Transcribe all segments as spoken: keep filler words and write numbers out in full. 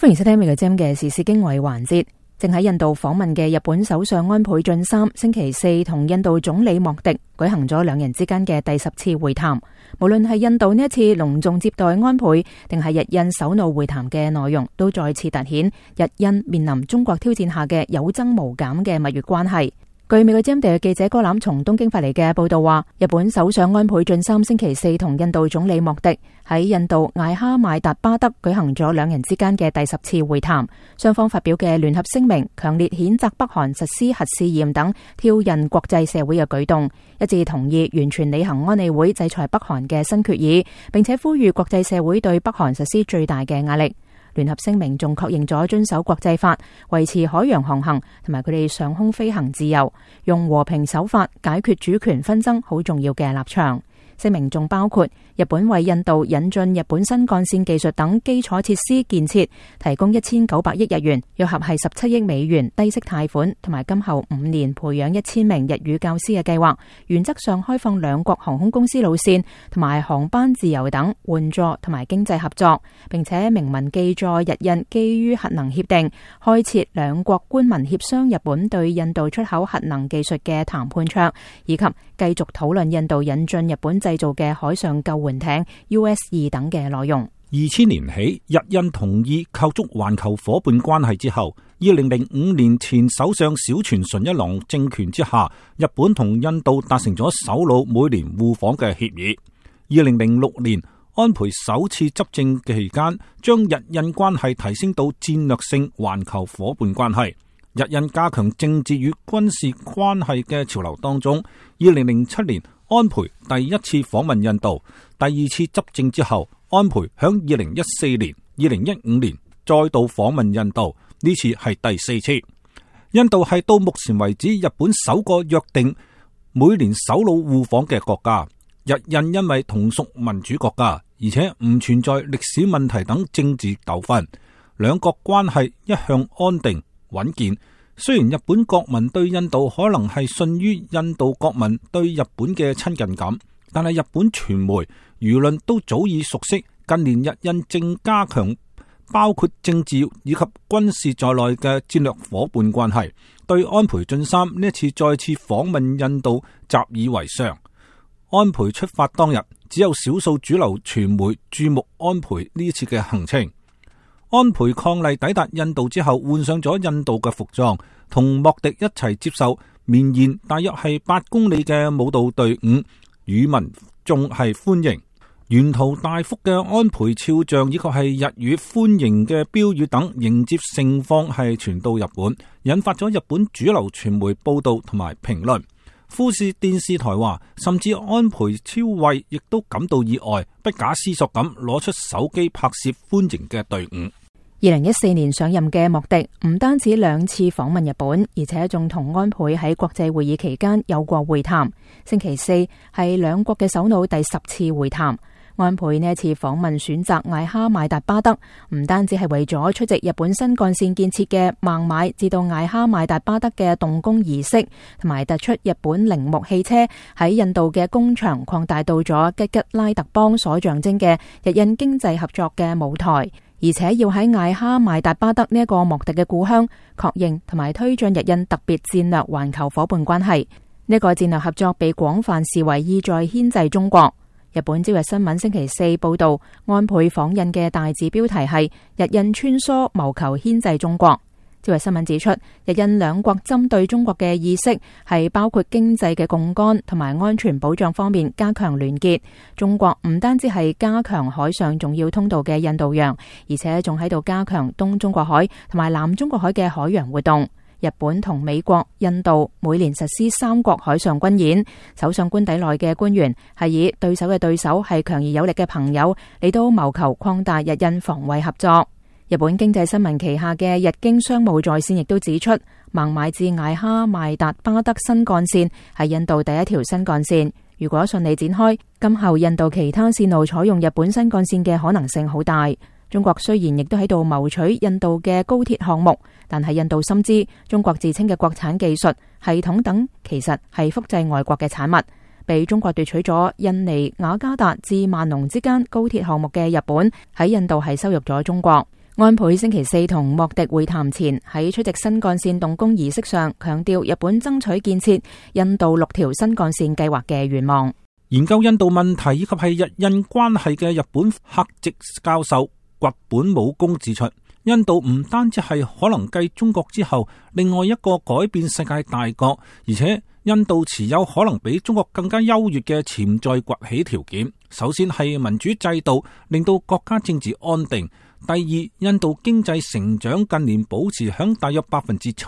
歡迎收聽《美國之音》嘅時事經緯環節。正喺印度訪問嘅日本首相安倍晉三，星期四同印度總理莫迪舉行咗兩人之間嘅第十次會談。無論係印度呢一次隆重接待安倍，定係日印首腦會談嘅內容，都再次凸顯日印面臨中國挑戰下嘅有增無減嘅蜜月關係。據美國之音地記者哥欖從東京發嚟嘅報道話，日本首相安倍晉三星期四同印度總理莫迪喺印度艾哈邁達巴德舉行咗兩人之間嘅第十次會談，雙方發表嘅聯合聲明強烈譴責北韓實施核試驗等挑釁國際社會嘅舉動，一致同意完全履行安理會制裁北韓嘅新決議，並且呼籲國際社會對北韓實施最大嘅壓力。聯合聲明仲確認咗遵守國際法、維持海洋航行同埋佢哋上空飛行自由、用和平手法解決主權紛爭好重要嘅立場。聲明仲包括日本為印度引進日本新幹線技術等基礎設施建設提供一千九百億日元，約合係十七億美元低息貸款，同埋今後五年培養一千名日語教師嘅計劃，原則上開放兩國航空公司路線同埋航班自由等援助同埋經濟合作，並且明文記載日印基於核能協定開設兩國官民協商日本對印度出口核能技術嘅談判桌，以及繼續討論印度引進日本製造嘅海上救援艇 U S 二等嘅內容。二千年起，日印同意構築環球夥伴關係之後，二零零五年前首相小泉純一郎政權之下，日本同印度達成咗首腦每年互訪嘅協議。二零零六年，安倍首次執政期間，將日印關係提升到戰略性環球夥伴關係。日印加強政治與軍事關係嘅潮流當中，二零零七年安倍第一次訪問印度，第二次執政之後，安倍響二零一四年、二零一五年再度訪問印度，呢次係第四次。印度係到目前為止日本首個約定每年首腦互訪嘅國家。日印因為同屬民主國家，而且唔存在歷史問題等政治糾紛，兩國關係一向安定穩健。雖然日本國民對印度可能係遜於印度國民對日本嘅親近感，但係日本傳媒輿論都早已熟悉近年日印正加強包括政治以及軍事在內嘅戰略夥伴關係，對安倍晉三呢一次再次訪問印度習以為常。安倍出發當日，只有少數主流傳媒注目安倍呢一次嘅行程。安倍伉儷抵達印度之後，換上咗印度嘅服裝，同莫迪一齊接受綿延大約係八公里嘅舞蹈隊伍，與民眾係歡迎。沿途大幅嘅安倍肖像以及係日語歡迎嘅標語等迎接盛況係傳到日本，引發咗日本主流傳媒報道同埋評論。富士電視台話，甚至安倍昭惠亦都感到意外，不假思索咁攞出手機拍攝歡迎嘅隊伍。二零一四年上任嘅莫迪唔單止兩次訪問日本，而且仲同安倍喺國際會議期間有過會談。星期四係兩國嘅首腦第十次會談。安倍呢一次訪問選擇艾哈邁達巴德，唔單止係為咗出席日本新幹線建設嘅孟買至到艾哈邁達巴德嘅動工儀式，同埋突出日本鈴木汽車喺印度嘅工場擴大到咗吉吉拉特邦所象徵嘅日印經濟合作嘅舞台，而且要喺艾哈邁達巴德呢一個莫迪嘅故鄉確認同埋推進日印特別戰略環球夥伴關係。呢個戰略合作被廣泛視為意在牽制中國。日本朝日新聞星期四報道，安倍訪印嘅大字標題係日印穿梭謀求牽制中國。朝日新聞指出，日印兩國針對中國嘅意識係包括經濟嘅槓桿同埋安全保障方面加強聯結。中國唔單止係加強海上重要通道嘅印度洋，而且仲喺度加強東中國海同埋南中國海嘅海洋活動。日本同美國、印度每年實施三國海上軍演，首相官邸內嘅官員係以對手嘅對手係強而有力嘅朋友嚟到謀求擴大日印防衛合作。日本經濟新聞旗下嘅日經商務在線亦都指出，孟買至艾哈邁達巴德新幹線係印度第一條新幹線，如果順利展開，今後印度其他線路採用日本新幹線嘅可能性好大。中國雖然亦都喺度謀取印度嘅高鐵項目，但係印度深知中國自稱嘅國產技術、系統等其實係複製外國嘅產物。被中國奪取咗印尼雅加達至萬隆之間高鐵項目嘅日本喺印度係羞辱咗中國。安倍星期四同莫迪會談前，喺出席新幹線動工儀式上，強調日本爭取建設印度六條新幹線計劃嘅願望。研究印度問題以及係日印關係嘅日本客席教授堀本武功指出，印度唔單止係可能繼中國之後另外一個改變世界大國，而且印度持有可能比中國更加優越嘅潛在崛起條件。首先係民主制度，令到國家政治安定。第二，印度經濟成長近年保持響大約百分之七，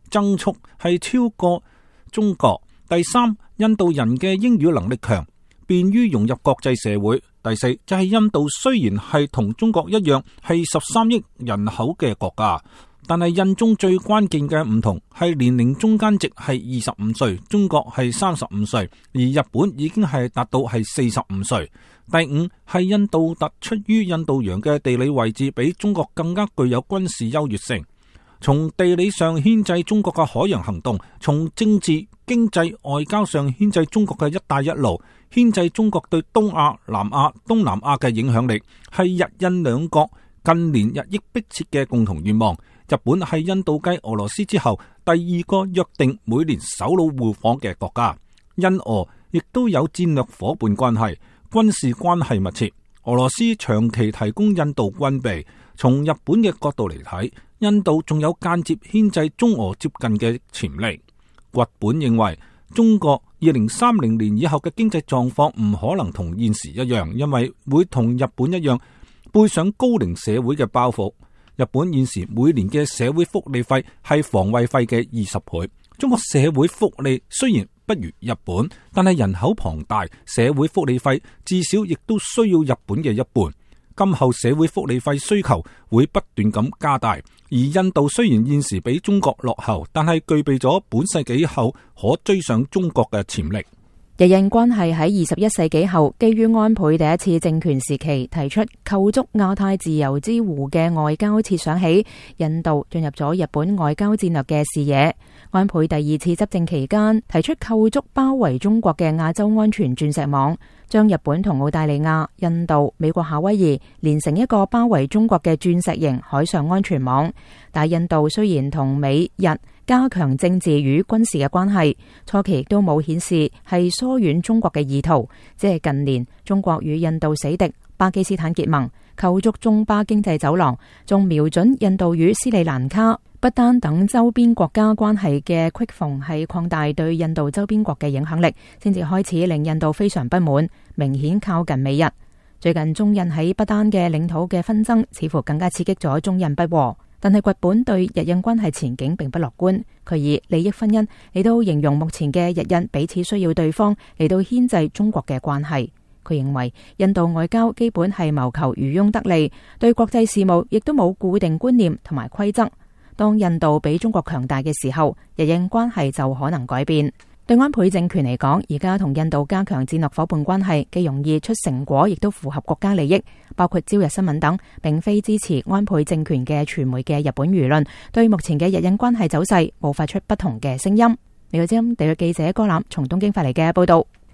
增速係超過中國。第三，印度人嘅英語能力強，便於融入國際社會。第四，就係印度雖然係同中國一樣係十三億人口嘅國家，但係印中最關鍵嘅唔同係年齡中間值係二十五歲，中國係三十五歲，而日本已經係達到係四十五歲。第五，係印度突出於印度洋嘅地理位置比中國更加具有軍事優越性，從地理上牽制中國嘅海洋行動，從政治、經濟、外交上牽制中國嘅一帶一路，牽制中國對東亞、南亞、東南亞嘅影響力，係日印兩國近年日益迫切嘅共同願望。日本係印度繼俄羅斯之後第二個約定每年首腦互訪嘅國家，印俄亦都有戰略夥伴關係，軍事關係密切。俄羅斯長期提供印度軍備，從日本嘅角度嚟睇，印度仲有間接牽制中俄接近嘅潛力。堀本認為，中國二零三零年以後嘅經濟狀況唔可能同現時一樣，因為會同日本一樣背上高齡社會嘅包袱。日本現時每年嘅社會福利費係防衛費嘅二十倍。中國社會福利雖然不如日本，但係人口龐大，社會福利費至少亦都需要日本嘅一半。今後社會福利費需求會不斷咁加大，而印度雖然現時比中國落後，但係具備咗本世紀後可追上中國嘅潛力。日印關係喺二十一世紀後，基於安倍第一次政權時期提出構築亞太自由之弧嘅外交設想起，印度進入咗日本外交戰略嘅視野。安倍第二次執政期間提出構築包圍中國嘅亞洲安全鑽石網，將日本同澳大利亞、印度、美國夏威夷連成一個包圍中國嘅鑽石型海上安全網。但印度雖然同美日加強政治與軍事嘅關係，初期亦都冇顯示係疏遠中國嘅意圖，只係近年中國與印度死敵巴基斯坦結盟，構築中巴經濟走廊，仲瞄準印度與斯里蘭卡、不丹等周邊國家關係嘅隙縫，係擴大對印度周邊國嘅影響力，先至開始令印度非常不滿，明顯靠近美日。最近中印喺不丹嘅領土嘅紛爭，似乎更加刺激咗中印不和。但係堀本對日印關係前景並不樂觀，佢以利益婚姻嚟到形容目前嘅日印彼此需要對方嚟到牽制中國嘅關係。佢認為印度外交基本係謀求漁翁得利，對國際事務亦都冇固定觀念同埋規則。當印度比中國強大嘅時候，日印關係就可能改變。對安倍政權嚟講，而家同印度加強戰略夥伴關係，既容易出成果，亦都符合國家利益。包括朝日新聞等並非支持安倍政權嘅傳媒嘅日本輿論，對目前嘅日印關係走勢，冒發出不同嘅聲音。呢個節目地約記者歌攬從東京發嚟嘅報道。